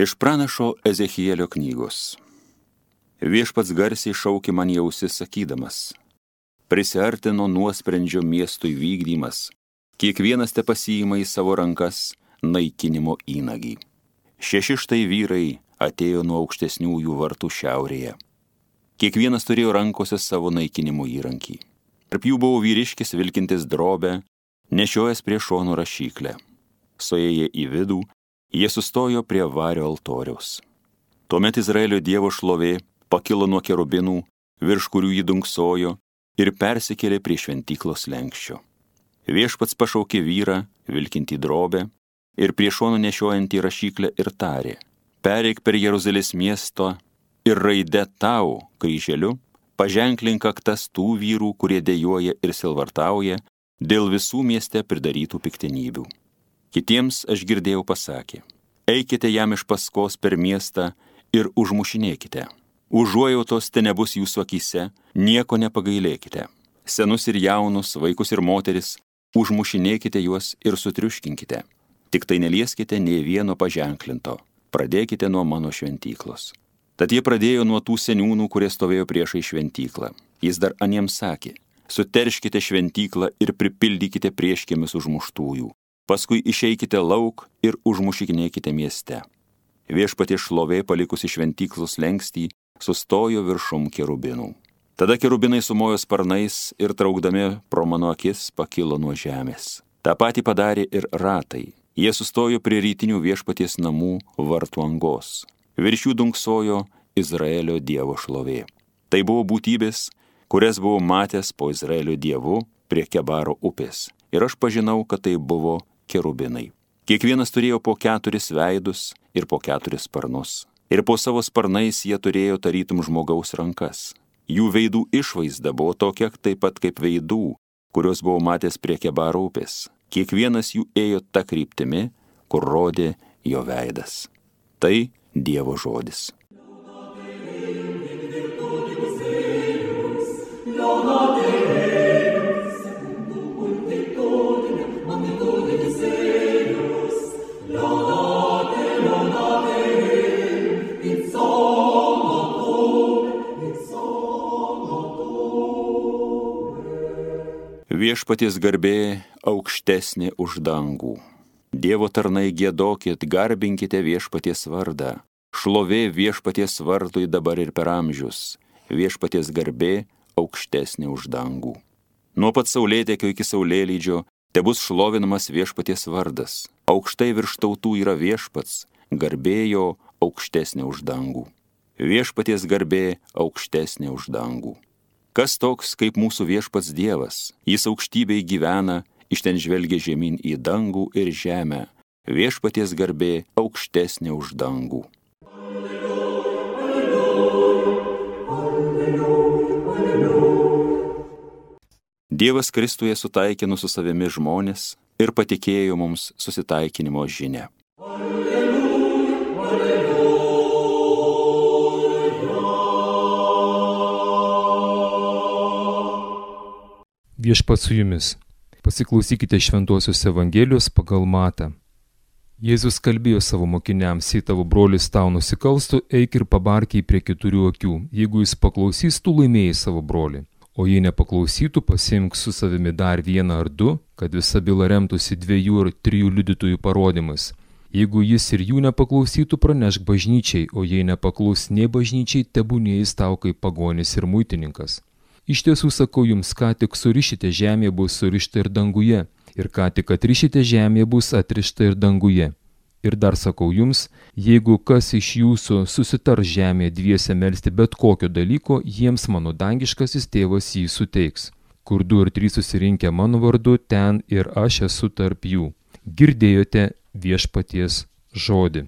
Iš pranašo Ezechielio knygos. Viešpats garsiai šaukė man į ausis sakydamas: prisiartino nuosprendžio miestui vykdymas, kiekvienas te pasiima į savo rankas naikinimo įnagį. 6 štai vyrai atėjo nuo aukštesniųjų vartų šiaurėje. Kiekvienas turėjo rankose savo naikinimo įrankį. Tarp jų buvo vyriškis vilkintis drobę, nešiojęs prie šonų rašyklę. Suėję į vidų, jie sustojo prie vario altoriaus. Tuomet Izraelio Dievo šlovė pakilo nuo kerubinų, virš kurių jį dunksojo, ir persikėlė prie šventyklos slenksčio. Viešpats pašaukė vyrą, vilkintį drobę, ir prie šono nešiojantį rašyklę ir tarė: pereik per Jeruzalės miesto ir raide tau, kryželiu, paženklink kaktas tų vyrų, kurie dejuoja ir silvartauja dėl visų mieste pridarytų piktenybių. Kitiems aš girdėjau pasakė: eikite jam iš paskos per miestą ir užmušinėkite. Užuojautos te nebus jūsų akyse, nieko nepagailėkite. Senus ir jaunus, vaikus ir moteris, užmušinėkite juos ir sutriuškinkite. Tik tai nelieskite nė vieno paženklinto. Pradėkite nuo mano šventyklos. Tad jie pradėjo nuo tų seniūnų, kurie stovėjo priešai šventyklą. Jis dar aniems sakė: suterškite šventyklą ir pripildykite prieškėmis užmuštųjų. Paskui išeikite lauk ir užmušinėkite mieste. Viešpaties šlovė palikusi šventyklos slengstį sustojo viršum kerubinų. Tada kerubinai sumojo sparnais ir traukdami pro mano akis pakilo nuo žemės. Ta patį padarė ir ratai. Jie sustojo prie rytinių viešpaties namų vartų angos. Virš jų dunksojo Izraelio Dievo šlovė. Tai buvo būtybės, kurias buvau matęs po Izraelio Dievu prie Kebaro upės. Ir aš pažinau, kad tai buvo kerubinai. Kiekvienas turėjo po 4 veidus ir po 4 sparnus. Ir po savo sparnais jie turėjo tarytum žmogaus rankas. Jų veidų išvaizda buvo tokia taip pat kaip veidų, kurios buvau matęs prie Kebaro upės. Kiekvienas jų ėjo ta kryptimi, kur rodė jo veidas. Tai Dievo žodis. Viešpaties garbė aukštesnė už dangų. Dievo tarnai giedokit, garbinkite viešpaties vardą. Šlovė viešpaties vardui dabar ir per amžius. Viešpaties garbė aukštesnė už dangų. Nuo pat saulėtekio iki saulėlydžio tebus šlovinamas viešpaties vardas. Aukštai virš tautų yra viešpats, garbė jo aukštesnė už dangų. Viešpaties garbė aukštesnė už dangų. Kas toks kaip mūsų viešpats Dievas? Jis aukštybėj gyvena, iš ten žvelgia žemyn į dangų ir žemę. Viešpaties garbė aukštesnė už dangų. Dievas Kristuje sutaikino su savimi žmonės ir patikėjo mums susitaikinimo žinią. Viešpats su jumis. Pasiklausykite Šventosios Evangelijos pagal Matą. Jėzus kalbėjo savo mokiniams: jei tavo brolis tau nusikalstų, eik ir pabark jį prie 4 akių. Jeigu jis paklausys, tu laimėjai savo brolį. O jei nepaklausytų, pasiimk su savimi dar 1 ar 2, kad visa byla remtųsi 2 ar 3 liudytojų parodymais. Jeigu jis ir jų nepaklausytų, pranešk bažnyčiai, o jei nepaklaus nei bažnyčiai, tebūnie jis tau kaip pagonis ir muitininkas. Iš tiesų sakau jums, ką tik surišite žemėje, bus surišta ir danguje, ir ką tik atrišite žemėje, bus atrišta ir danguje. Ir dar sakau jums, jeigu kas iš jūsų susitars žemėje dviese melsti bet kokio dalyko, jiems mano dangiškasis tėvas jį suteiks. Kur 2 ar 3 susirinkę mano vardu, ten ir aš esu tarp jų. Girdėjote viešpaties žodį.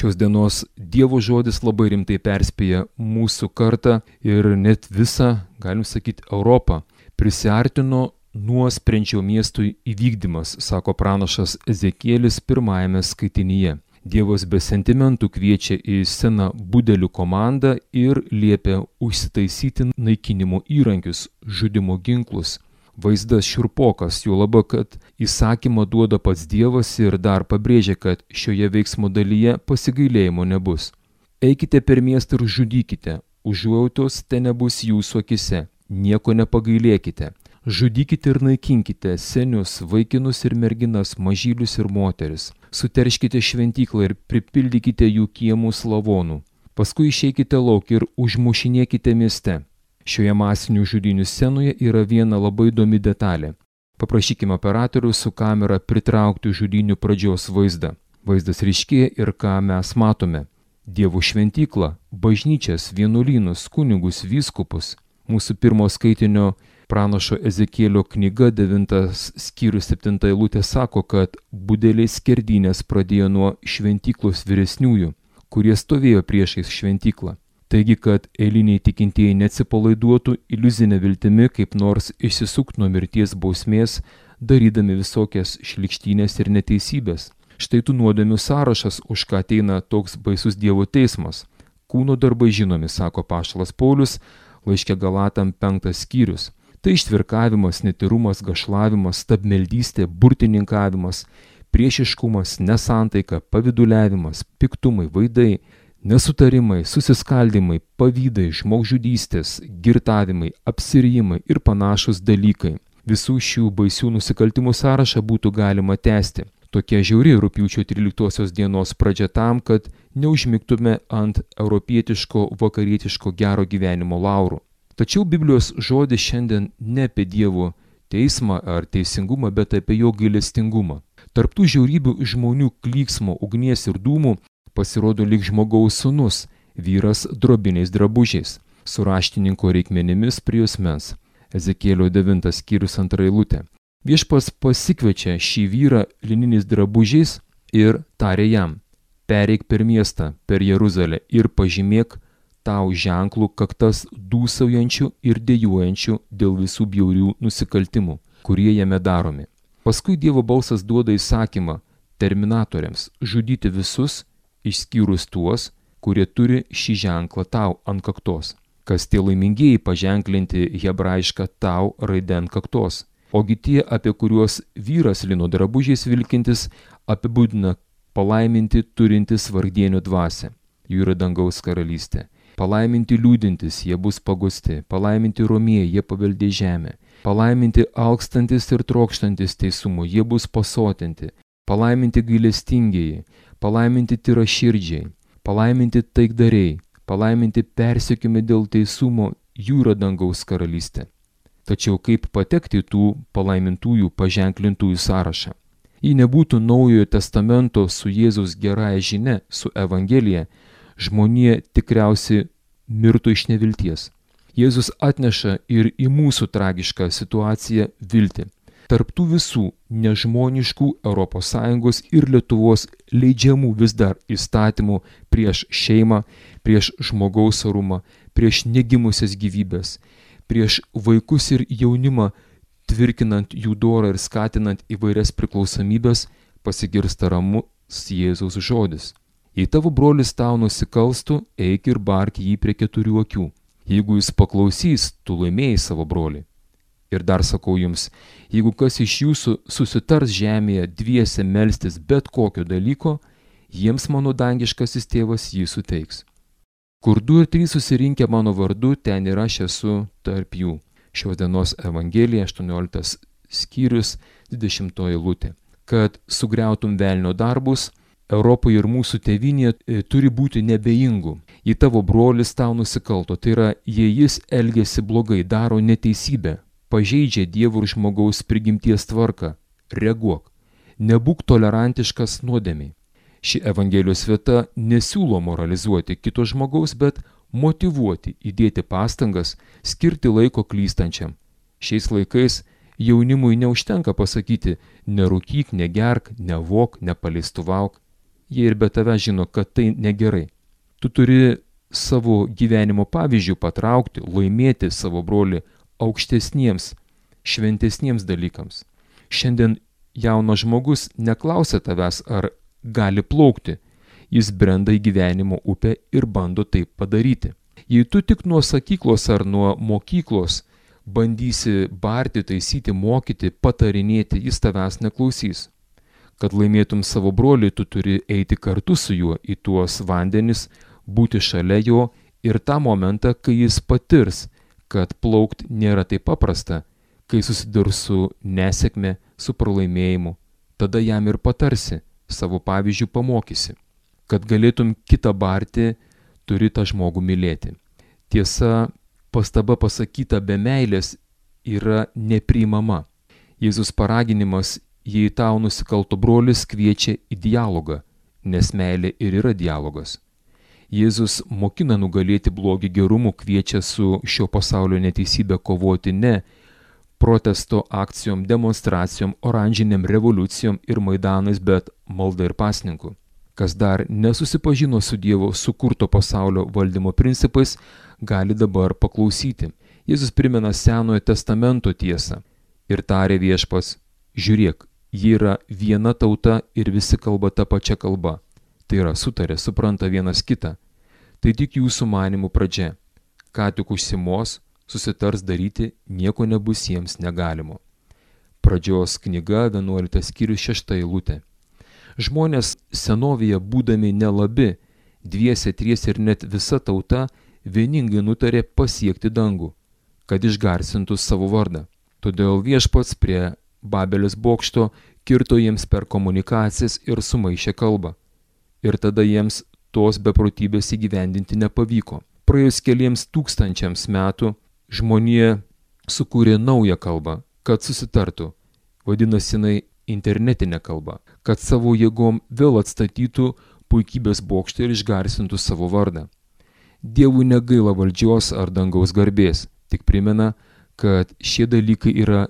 Šios dienos Dievo žodis labai rimtai perspėja mūsų kartą ir net visą, galim sakyti, Europą. Prisiartino nuosprendžio miestui įvykdymas, sako pranašas Ezekielis 1 skaitinyje. Dievas be sentimentų kviečia į sceną budelių komandą ir liepia užsitaisyti naikinimo įrankius, žudimo ginklus. Vaizdas šiurpokas, juolab, kad įsakymą duoda pats Dievas ir dar pabrėžia, kad šioje veiksmo dalyje pasigailėjimo nebus. Eikite per miestą ir žudykite, užuojautos te nebus jūsų akise, nieko nepagailėkite. Žudykite ir naikinkite senius, vaikinus ir merginas, mažylius ir moteris. Suterškite šventyklą ir pripildykite jų kiemus lavonų. Paskui išeikite lauk ir užmušinėkite mieste. Šioje masinių žudynių scenoje yra viena labai įdomi detalė. Paprašykime operatorių su kamera pritraukti žudynių pradžios vaizdą. Vaizdas ryškėja ir ką mes matome. Dievo šventyklą, bažnyčias, vienuolynus, kunigus, vyskupus. Mūsų pirmo skaitinio pranašo Ezekėlio knyga 9 skyrius 7 eilutė sako, kad budeliai skerdynės pradėjo nuo šventyklos vyresniųjų, kurie stovėjo priešais šventyklą. Taigi, kad eiliniai tikintieji neatsipalaiduotų iliuzinę viltimi kaip nors išsisukti nuo mirties bausmės, darydami visokias šlykštynės ir neteisybės. Štai tų nuodėmių sąrašas, už ką ateina toks baisus Dievo teismas. Kūno darbai žinomi, sako apaštalas Paulius, laiške Galatam 5 skyrius. Tai ištvirkavimas, netyrumas, gašlavimas, stabmeldystė, burtininkavimas, priešiškumas, nesantaika, pavyduliavimas, piktumai, vaidai, nesutarimai, susiskaldimai, pavydai, žmogžudystės, girtavimai, apsirijimai ir panašus dalykai. Visų šių baisių nusikaltimų sąrašą būtų galima tęsti. Tokia žiauri rugpjūčio 13 dienos pradžia tam, kad neužmigtume ant europietiško, vakarietiško gero gyvenimo laurų. Tačiau Biblijos žodis šiandien ne apie Dievo teismą ar teisingumą, bet apie jo gailestingumą. Tarp tų žiaurybių žmonių klyksmo, ugnies ir dūmų pasirodo lyg žmogaus sūnus, vyras drobiniais drabužiais, su raštininko reikmenimis prie juosmens. Ezekėlio 9 skyrius 2 eilutė. Viešpats pasikviečia šį vyrą lininiais drabužiais ir tarė jam: pereik per miestą, per Jeruzalę ir pažymėk tau ženklų kaktas dūsaujančių ir dejuojančių dėl visų bjaurių nusikaltimų, kurie jame daromi. Paskui Dievo balsas duoda įsakymą terminatoriams žudyti visus, išskyrus tuos, kurie turi šį ženklą tau ant kaktos. Kas tie laimingieji paženklinti hebrajišką tau raidę ant kaktos. Ogi tie, apie kuriuos vyras lino drabužiais vilkintis, apibūdina palaiminti turintis vargdienio dvasią. Jų yra dangaus karalystė. Palaiminti liūdintis, jie bus pagusti. Palaiminti romieji, jie paveldės žemę. Palaiminti alkstantis ir trokštantis teisumo, jie bus pasotinti. Palaiminti gailestingieji, palaiminti tyraširdžiai, palaiminti taikdariai, palaiminti persekiojami dėl teisumo, jų yra dangaus karalystė. Tačiau kaip patekti tų palaimintųjų paženklintųjų sąrašą? Jei nebūtų Naujojo testamento su Jėzaus gerąja žinia, su Evangelija, žmonija tikriausiai mirtų iš nevilties. Jėzus atneša ir į mūsų tragišką situaciją viltį. Tarp tų visų nežmoniškų ES ir Lietuvos leidžiamų vis dar įstatymų prieš šeimą, prieš žmogaus orumą, prieš negimusias gyvybės, prieš vaikus ir jaunimą, tvirkinant jų dorą ir skatinant įvairias priklausomybės, pasigirsta ramus Jėzaus žodis. Jei tavo brolis tau nusikalstų, eik ir bark jį prie 4 akių. Jeigu jis paklausys, tu laimėjai savo brolį. Ir dar sakau jums, jeigu kas iš jūsų susitars žemėje dviese melstis bet kokio dalyko, jiems mano dangiškasis tėvas jį suteiks. Kur 2 ir 3 susirinkę mano vardu, ten ir aš esu tarp jų. Šios dienos Evangelija 18 skyrius 20 eilutė. Kad sugriautum velnio darbus, Europoje ir mūsų tėvynėje turi būti nebejingų. Jei tavo brolis tau nusikalto, tai yra, jei jis elgiasi blogai, daro neteisybę, pažeidžia Dievo ir žmogaus prigimties tvarką, reaguok. Nebūk tolerantiškas nuodėmiai. Ši Evangelijos vieta nesiūlo moralizuoti kito žmogaus, bet motyvuoti, įdėti pastangas, skirti laiko klystančiam. Šiais laikais jaunimui neužtenka pasakyti nerūkyk, negerk, nevok, nepaleistuvauk. Jie ir be tave žino, kad tai negerai. Tu turi savo gyvenimo pavyzdžių patraukti, laimėti savo brolį aukštesniems, šventesniems dalykams. Šiandien jaunas žmogus neklausia tavęs, ar gali plaukti. jis brenda į gyvenimo upę ir bando taip padaryti. Jei tu tik nuo sakyklos ar nuo mokyklos bandysi barti, taisyti, mokyti, patarinėti, jis tavęs neklausys. Kad laimėtum savo brolį, tu turi eiti kartu su juo į tuos vandenis, būti šalia jo ir tą momentą, kai jis patirs, kad plaukt nėra taip paprasta, kai susidurs su nesėkme, su pralaimėjimu, tada jam ir patarsi, savo pavyzdžių pamokysi. Kad galėtum kitą barti, turi tą žmogų mylėti. Tiesa, pastaba pasakyta be meilės yra nepriimama. Jėzus paraginimas, jei tau nusikalto brolis, kviečia į dialogą, nes meilė ir yra dialogas. Jėzus mokina nugalėti blogį gerumu, kviečia su šio pasaulio neteisybė kovoti ne protesto akcijom, demonstracijom, oranžinėm revoliucijom ir maidanais, bet malda ir pasninku. Kas dar nesusipažino su Dievo sukurto pasaulio valdymo principais, gali dabar paklausyti. Jėzus primena Senojo testamento tiesą ir tarė Viešpats: žiūrėk, ji yra viena tauta ir visi kalba tą pačią kalbą. Tai yra sutarė, supranta vienas kitą. Tai tik jūsų manimų pradžia. Ką tik užsimos, susitars daryti, nieko nebus jiems negalimo. Pradžios knyga, 11 skyrius, 6 eilutė. Žmonės senovėje būdami nelabi, dviese, triese ir net visa tauta vieningai nutarė pasiekti dangų, kad išgarsintų savo vardą. Todėl Viešpats prie Babelės bokšto kirto jiems per komunikacijas ir sumaišė kalbą. Ir tada jiems tos beprotybės įgyvendinti nepavyko. Praėjus keliems tūkstančiams metų žmonija sukūrė naują kalbą, kad susitartų, vadinasi jinai internetinė kalba, kad savo jėgom vėl atstatytų puikybės bokštą ir išgarsintų savo vardą. Dievui negaila valdžios ar dangaus garbės, tik primena, kad šie dalykai yra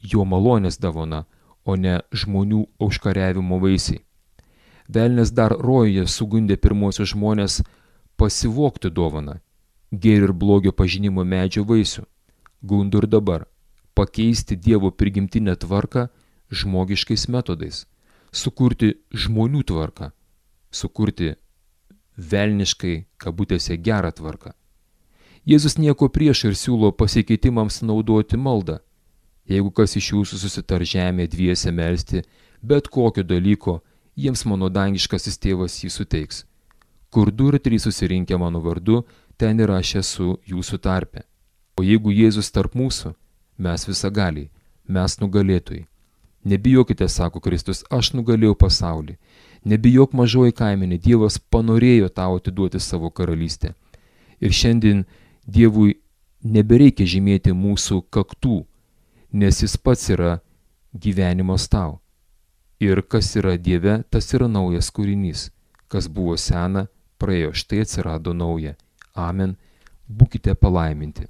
jo malonės dovana, o ne žmonių užkariavimo vaisiai. Velnias dar rojuje sugundė pirmosius žmonės pasivogti dovaną, gėrio ir blogio pažinimo medžio vaisių. Gundo ir dabar pakeisti Dievo prigimtinę tvarką žmogiškais metodais, sukurti žmonių tvarką, sukurti velniškai, kabutėse, gerą tvarką. Jėzus nieko prieš ir siūlo pasikeitimams naudoti maldą. Jeigu kas iš jūsų susitar žemė dviese melsti, bet kokio dalyko, jiems mano dangiškasis tėvas jį suteiks. Kur 2 ir 3 susirinkę mano vardu, ten ir aš esu jūsų tarpe. O jeigu Jėzus tarp mūsų, mes visagaliai, mes nugalėtojai. Nebijokite, sako Kristus, aš nugalėjau pasaulį. Nebijok, mažoji kaimenė, Dievas panorėjo tau atiduoti savo karalystę. Ir šiandien Dievui nebereikia žymėti mūsų kaktų, nes jis pats yra gyvenimas tau. Ir kas yra Dieve, tas yra naujas kūrinys. Kas buvo sena, praėjo, štai atsirado nauja. Amen. Būkite palaiminti.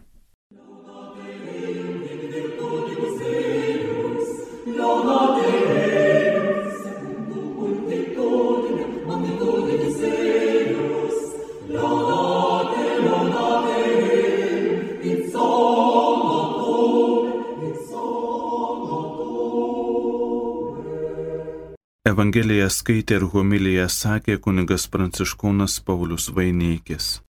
Evangeliją skaitė ir homiliją sakė kunigas pranciškonas Paulius Vaineikis.